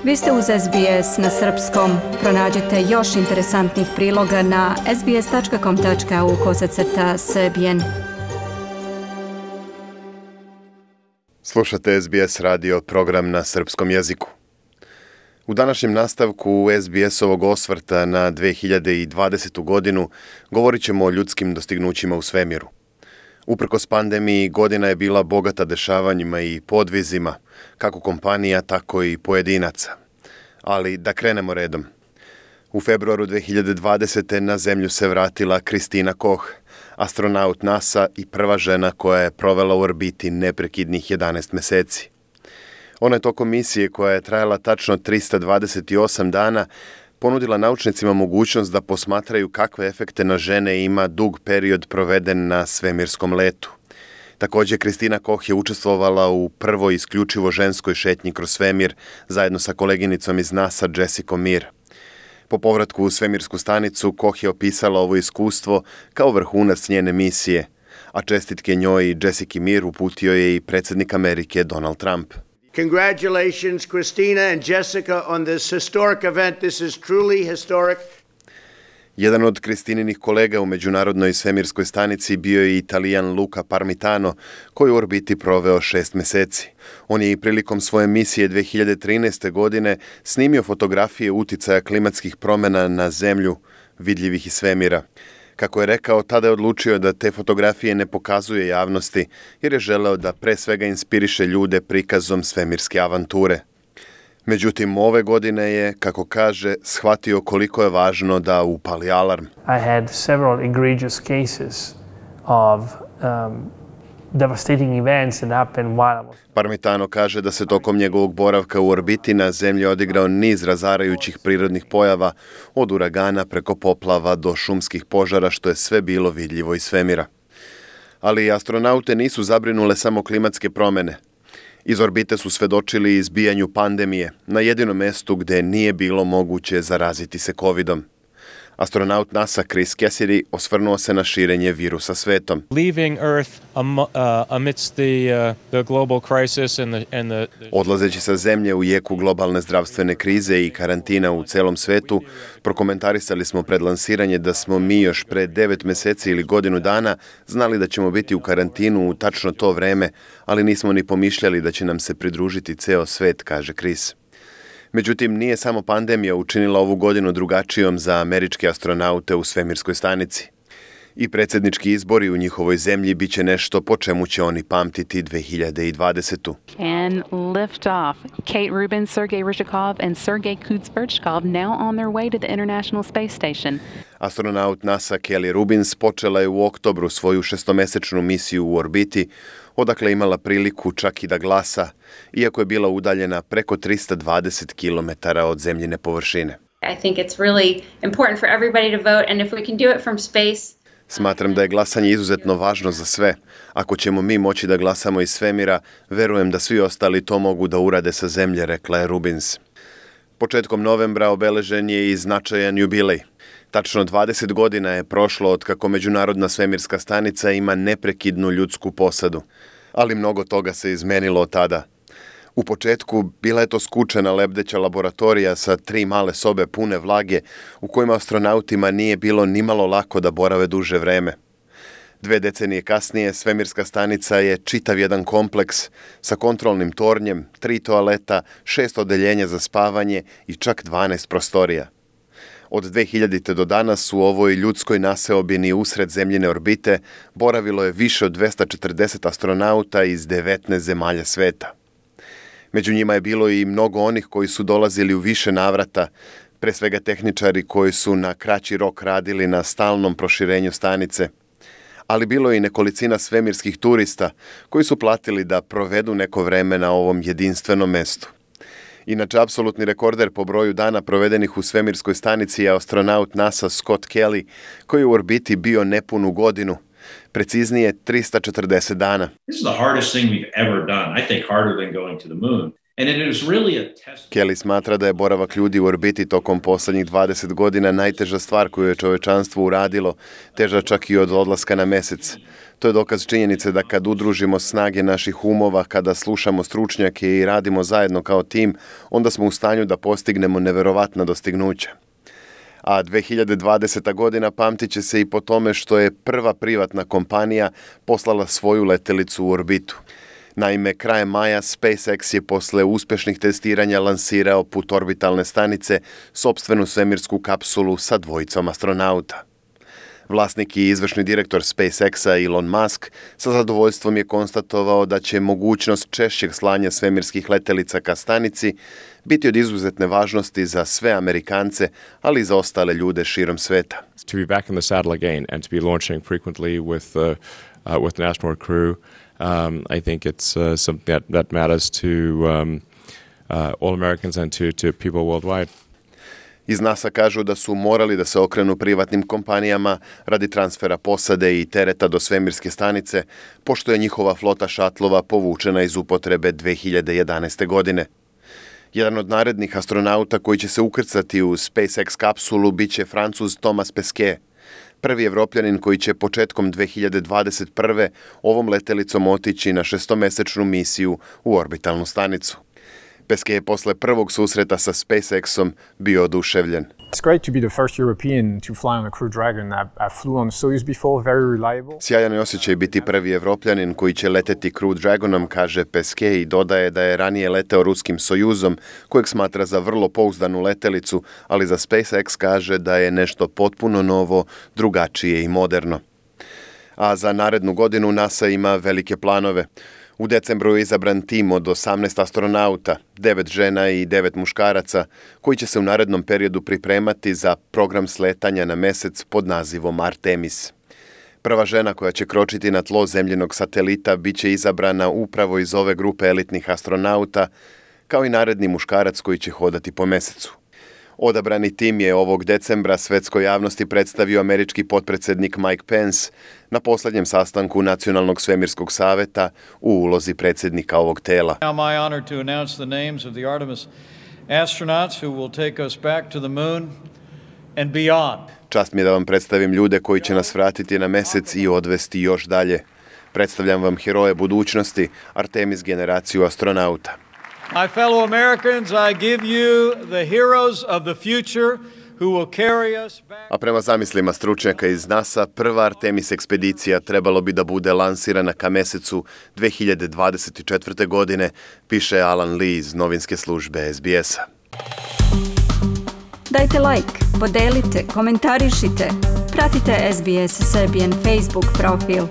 Vi ste uz SBS na srpskom. Pronađite još interesantnih priloga na sbs.com.au/srbijen. Slušate SBS radio program na srpskom jeziku. U današnjem nastavku SBS-ovog osvrta na 2020. godinu govorit ćemo o ljudskim dostignućima u svemiru. Uprkos pandemiji, godina je bila bogata dešavanjima i podvizima, kako kompanija, tako i pojedinaca. Ali da krenemo redom. U februaru 2020. na zemlju se vratila Kristina Koch, astronaut NASA i prva žena koja je provela u orbiti neprekidnih 11 meseci. Ona je tokom misije, koja je trajala tačno 328 dana, ponudila naučnicima mogućnost da posmatraju kakve efekte na žene ima dug period proveden na svemirskom letu. Također, Kristina Koch je učestvovala u prvoj isključivo ženskoj šetnji kroz svemir zajedno sa koleginicom iz NASA Jessicom Meir. Po povratku u svemirsku stanicu, Koch je opisala ovo iskustvo kao vrhunac njene misije, a čestitke njoj i Jessici Meir uputio je i predsjednik Amerike Donald Trump. Congratulations, Christina and Jessica, on this historic event. This is truly historic. Jedan od Kristininih kolega u Međunarodnoj svemirskoj stanici bio je Italijan Luca Parmitano, koji u orbiti proveo 6 meseci. On je i prilikom svoje misije 2013. godine snimio fotografije uticaja klimatskih promjena na zemlju, vidljivih iz svemira. Kako je rekao, tada je odlučio da te fotografije ne pokazuje javnosti, jer je želeo da pre svega inspiriše ljude prikazom svemirske avanture. Međutim, ove godine je, kako kaže, shvatio koliko je važno da upali alarm. I had several egregious cases of devastating events that happened while I was... Parmitano kaže da se tokom njegovog boravka u orbiti na zemlji odigrao niz razarajućih prirodnih pojava, od uragana preko poplava do šumskih požara, što je sve bilo vidljivo iz svemira. Ali astronaute nisu zabrinule samo klimatske promjene. Iz orbite su svedočili izbijanju pandemije na jedinom mestu gde nije bilo moguće zaraziti se covidom. Astronaut NASA Chris Cassidy osvrnuo se na širenje virusa svetom. Leaving Earth amidst the global crisis and the Odlazeći sa zemlje u jeku globalne zdravstvene krize i karantina u celom svetu, prokomentarisali smo pred lansiranje da smo mi još pre 9 meseci ili godinu dana znali da ćemo biti u karantinu u tačno to vreme, ali nismo ni pomišljali da će nam se pridružiti ceo svet, kaže Chris. Međutim, nije samo pandemija učinila ovu godinu drugačijom za američke astronaute u svemirskoj stanici. I predsjednički izbori u njihovoj zemlji bit će nešto po čemu će oni pamtiti 2020. And lift off. Kate Rubin, Sergei Ryzhikov and Sergei Kuzberchkov now on their way to the International Space Station. Astronaut NASA Kelly Rubins počela je u oktobru svoju 6-mesečnu misiju u orbiti, odakle imala priliku čak i da glasa, iako je bila udaljena preko 320 km od zemljine površine. I think it's really important for everybody to vote, and if we can do it from space. Smatram da je glasanje izuzetno važno za sve. Ako ćemo mi moći da glasamo iz svemira, verujem da svi ostali to mogu da urade sa zemlje, rekla je Rubins. Početkom novembra obeležen je i značajan jubilej. Tačno 20 godina je prošlo od kako Međunarodna svemirska stanica ima neprekidnu ljudsku posadu. Ali mnogo toga se izmenilo od tada. U početku bila je to skučena lebdeća laboratorija sa 3 male sobe pune vlage u kojima astronautima nije bilo nimalo lako da borave duže vreme. 2 decenije kasnije svemirska stanica je čitav jedan kompleks sa kontrolnim tornjem, 3 toaleta, 6 odeljenja za spavanje i čak 12 prostorija. Od 2000. do danas u ovoj ljudskoj naseobini usred zemljine orbite boravilo je više od 240 astronauta iz 19 zemalja sveta. Među njima je bilo i mnogo onih koji su dolazili u više navrata, pre svega tehničari koji su na kraći rok radili na stalnom proširenju stanice. Ali bilo je i nekolicina svemirskih turista koji su platili da provedu neko vreme na ovom jedinstvenom mestu. Inače, apsolutni rekorder po broju dana provedenih u svemirskoj stanici je astronaut NASA Scott Kelly, koji je u orbiti bio nepunu godinu, preciznije 340 dana. This is the hardest thing we've ever done. I think harder than going to the moon. Kelly smatra da je boravak ljudi u orbiti tokom posljednjih 20 godina najteža stvar koju je čovječanstvo uradilo, teža čak i od odlaska na mjesec. To je dokaz činjenice da kad udružimo snage naših umova, kada slušamo stručnjake i radimo zajedno kao tim, onda smo u stanju da postignemo neverovatna dostignuća. A 2020. godina pamtit će se i po tome što je prva privatna kompanija poslala svoju letjelicu u orbitu. Naime, krajem maja SpaceX je posle uspješnih testiranja lansirao put orbitalne stanice sopstvenu svemirsku kapsulu sa dvojicom astronauta. Vlasnik i izvršni direktor SpaceX-a Elon Musk sa zadovoljstvom je konstatovao da će mogućnost češćeg slanja svemirskih letjelica ka stanici biti od izuzetne važnosti za sve Amerikance, ali i za ostale ljude širom sveta. To be back in the saddle again and to be launching frequently with an astronaut crew, I think it's something that matters to all Americans and to people worldwide. Iz NASA kažu da su morali da se okrenu privatnim kompanijama radi transfera posade i tereta do svemirske stanice, pošto je njihova flota šatlova povučena iz upotrebe 2011. godine. Jedan od narednih astronauta koji će se ukrcati u SpaceX kapsulu bit će Francuz Thomas Pesquet, prvi Evropljanin koji će početkom 2021. ovom letjelicom otići na 6-mesečnu misiju u orbitalnu stanicu. Pesquet je posle prvog susreta sa SpaceX-om bio oduševljen. It's great to be the first European to fly on a Crew Dragon. I flew on Soyuz before, very reliable. Sjajan je osjećaj biti prvi Evropljanin koji će leteti Crew Dragonom, kaže Pesquet i dodaje da je ranije leteo ruskim Sojuzom, kojeg smatra za vrlo pouzdanu letelicu, ali za SpaceX kaže da je nešto potpuno novo, drugačije i moderno. A za narednu godinu NASA ima velike planove. U decembru je izabran tim od 18 astronauta, 9 žena i 9 muškaraca, koji će se u narednom periodu pripremati za program sletanja na mjesec pod nazivom Artemis. Prva žena koja će kročiti na tlo zemljinog satelita bit će izabrana upravo iz ove grupe elitnih astronauta, kao i naredni muškarac koji će hodati po mjesecu. Odabrani tim je ovog decembra svetskoj javnosti predstavio američki potpredsjednik Mike Pence na posljednjem sastanku Nacionalnog svemirskog saveta u ulozi predsjednika ovog tela. Now my honor to announce the names of the Artemis astronauts who will take us back to the moon and beyond. Čast mi je da vam predstavim ljude koji će nas vratiti na mjesec i odvesti još dalje. Predstavljam vam heroje budućnosti, Artemis generaciju astronauta. My fellow Americans, I give you the heroes of the future who will carry us back. A prema zamislima stručnjaka iz NASA, prva Artemis ekspedicija trebalo bi da bude lansirana ka mjesecu 2024. godine, piše Alan Lee iz novinske službe SBS-a. Dajte like, podelite, komentarišite, pratite SBS Serbian Facebook profil.